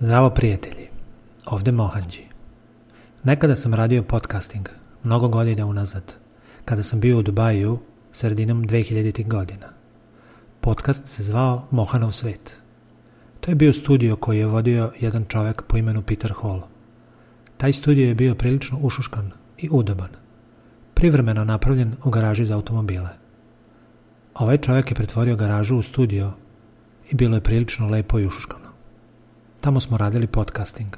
Zdravo prijatelji, ovdje Mohanđi. Nekada sam radio podcasting, mnogo godina unazad, kada sam bio u Dubaju sredinom 2000. godina. Podcast se zvao Mohanov svet. To je bio studio koji je vodio jedan čovjek po imenu Peter Hall. Taj studio je bio prilično ušuškan i udoban, privremeno napravljen u garaži za automobile. Ovaj čovjek je pretvorio garažu u studio i bilo je prilično lepo i ušuškano. Tamo smo radili podcasting.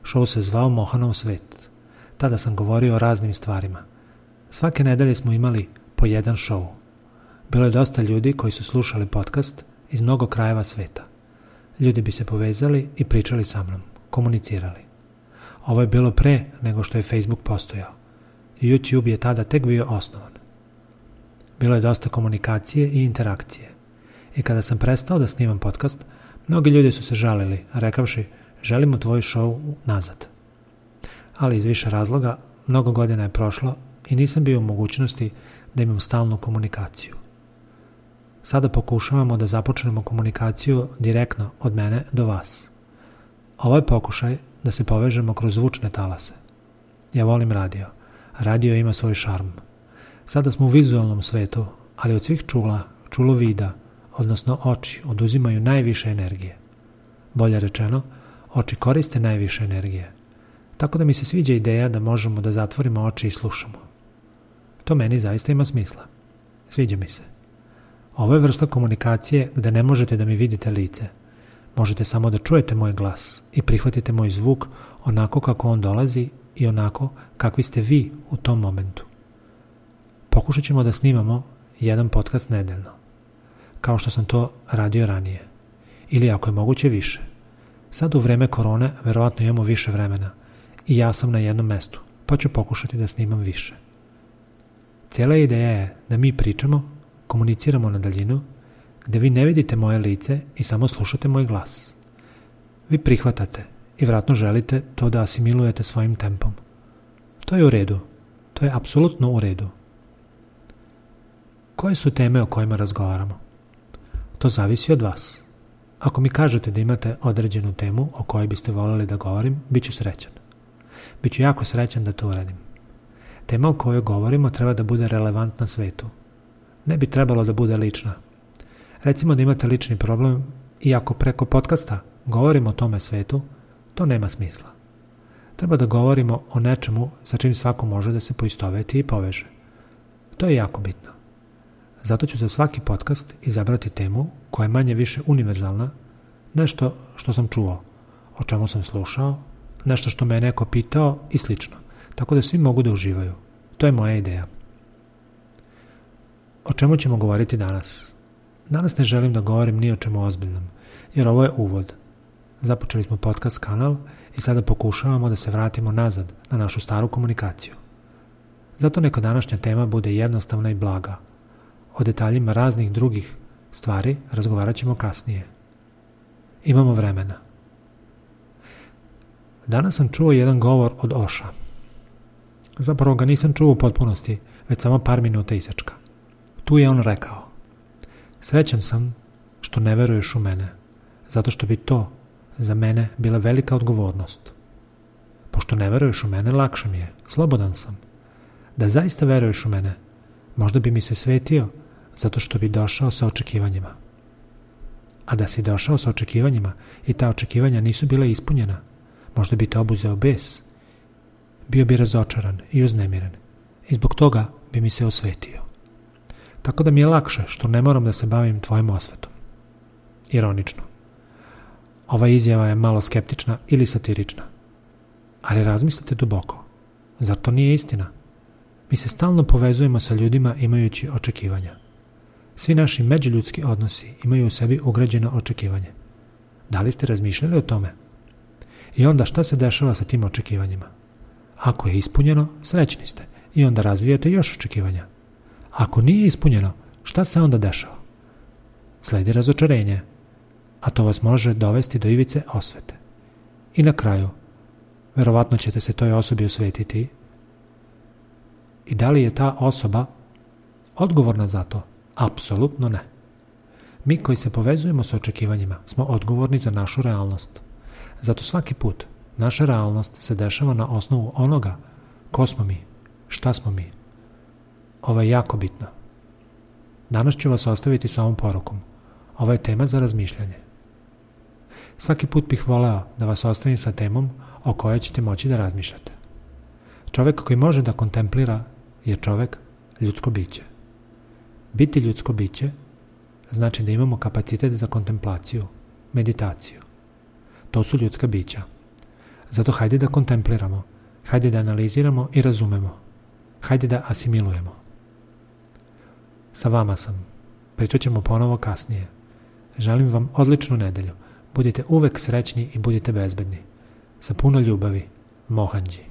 Show se zvao Mohanov svet. Tada sam govorio o raznim stvarima. Svake nedelje smo imali po jedan show. Bilo je dosta ljudi koji su slušali podcast iz mnogo krajeva sveta. Ljudi bi se povezali i pričali sa mnom, komunicirali. Ovo je bilo pre nego što je Facebook postojao. YouTube je tada tek bio osnovan. Bilo je dosta komunikacije i interakcije. I kada sam prestao da snimam podcast, mnogi ljudi su se žalili, rekavši želimo tvoj show nazad. Ali iz više razloga, mnogo godina je prošlo i nisam bio u mogućnosti da imam stalnu komunikaciju. Sada pokušavamo da započnemo komunikaciju direktno od mene do vas. Ovo je pokušaj da se povežemo kroz zvučne talase. Ja volim radio. Radio ima svoj šarm. Sada smo u vizualnom svetu, ali od svih čulo vida, odnosno oči, oduzimaju najviše energije. Bolje rečeno, oči koriste najviše energije. Tako da mi se sviđa ideja da možemo da zatvorimo oči i slušamo. To meni zaista ima smisla. Sviđa mi se. Ovo je vrsta komunikacije gde ne možete da mi vidite lice. Možete samo da čujete moj glas i prihvatite moj zvuk onako kako on dolazi i onako kakvi ste vi u tom momentu. Pokušat ćemo da snimamo jedan podcast nedeljno, kao što sam to radio ranije. Ili ako je moguće više. Sad u vreme korone verovatno imamo više vremena i ja sam na jednom mestu, pa ću pokušati da snimam više. Cijela ideja je da mi pričamo, komuniciramo na daljinu, gde vi ne vidite moje lice i samo slušate moj glas. Vi prihvatate i vjerojatno želite to da asimilujete svojim tempom. To je u redu. To je apsolutno u redu. Koje su teme o kojima razgovaramo? To zavisi od vas. Ako mi kažete da imate određenu temu o kojoj biste voljeli da govorim, bit ću srećan. Biću jako srećan da to uradim. Tema o kojoj govorimo treba da bude relevantna svetu. Ne bi trebalo da bude lična. Recimo da imate lični problem i ako preko podcasta govorimo o tome svetu, to nema smisla. Treba da govorimo o nečemu sa čim svako može da se poistoveti i poveže. To je jako bitno. Zato ću za svaki podcast izabrati temu koja je manje više univerzalna, nešto što sam čuo, o čemu sam slušao, nešto što me je neko pitao i slično, tako da svi mogu da uživaju. To je moja ideja. O čemu ćemo govoriti danas? Danas ne želim da govorim ni o čemu ozbiljnom, jer ovo je uvod. Započeli smo podcast kanal i sada pokušavamo da se vratimo nazad na našu staru komunikaciju. Zato neka današnja tema bude jednostavna i blaga. O detaljima raznih drugih stvari razgovarat ćemo kasnije. Imamo vremena. Danas sam čuo jedan govor od Oša. Zapravo ga nisam čuo u potpunosti, već samo par minuta isečka. Tu je on rekao: srećan sam što ne veruješ u mene, zato što bi to za mene bila velika odgovornost. Pošto ne veruješ u mene, lakše mi je, slobodan sam. Da zaista veruješ u mene, možda bi mi se svetio zato što bi došao sa očekivanjima. A da si došao sa očekivanjima i ta očekivanja nisu bila ispunjena, možda bi te obuzeo bes. Bio bi razočaran i uznemiren i zbog toga bi mi se osvetio. Tako da mi je lakše što ne moram da se bavim tvojim osvetom. Ironično. Ova izjava je malo skeptična ili satirična. Ali razmislite duboko. Zar to nije istina? Mi se stalno povezujemo sa ljudima imajući očekivanja. Svi naši međuljudski odnosi imaju u sebi ugrađeno očekivanje. Da li ste razmišljali o tome? I onda šta se dešava sa tim očekivanjima? Ako je ispunjeno, srećni ste i onda razvijate još očekivanja. Ako nije ispunjeno, šta se onda dešava? Sledi razočarenje, a to vas može dovesti do ivice osvete. I na kraju, verovatno ćete se toj osobi osvetiti. I da li je ta osoba odgovorna za to? Apsolutno ne. Mi koji se povezujemo sa očekivanjima smo odgovorni za našu realnost. Zato svaki put naša realnost se dešava na osnovu onoga ko smo mi, šta smo mi. Ovo je jako bitno. Danas ću vas ostaviti sa ovom porukom. Ovo je tema za razmišljanje. Svaki put bih voleo da vas ostavim sa temom o kojoj ćete moći da razmišljate. Čovek koji može da kontemplira je čovek ljudsko biće. Biti ljudsko biće znači da imamo kapacitet za kontemplaciju, meditaciju. To su ljudska bića. Zato hajde da kontempliramo, hajde da analiziramo i razumemo. Hajde da asimilujemo. Sa vama sam. Pričat ćemo ponovo kasnije. Želim vam odličnu nedelju. Budite uvek srećni i budite bezbedni. Sa puno ljubavi, Mohanđi.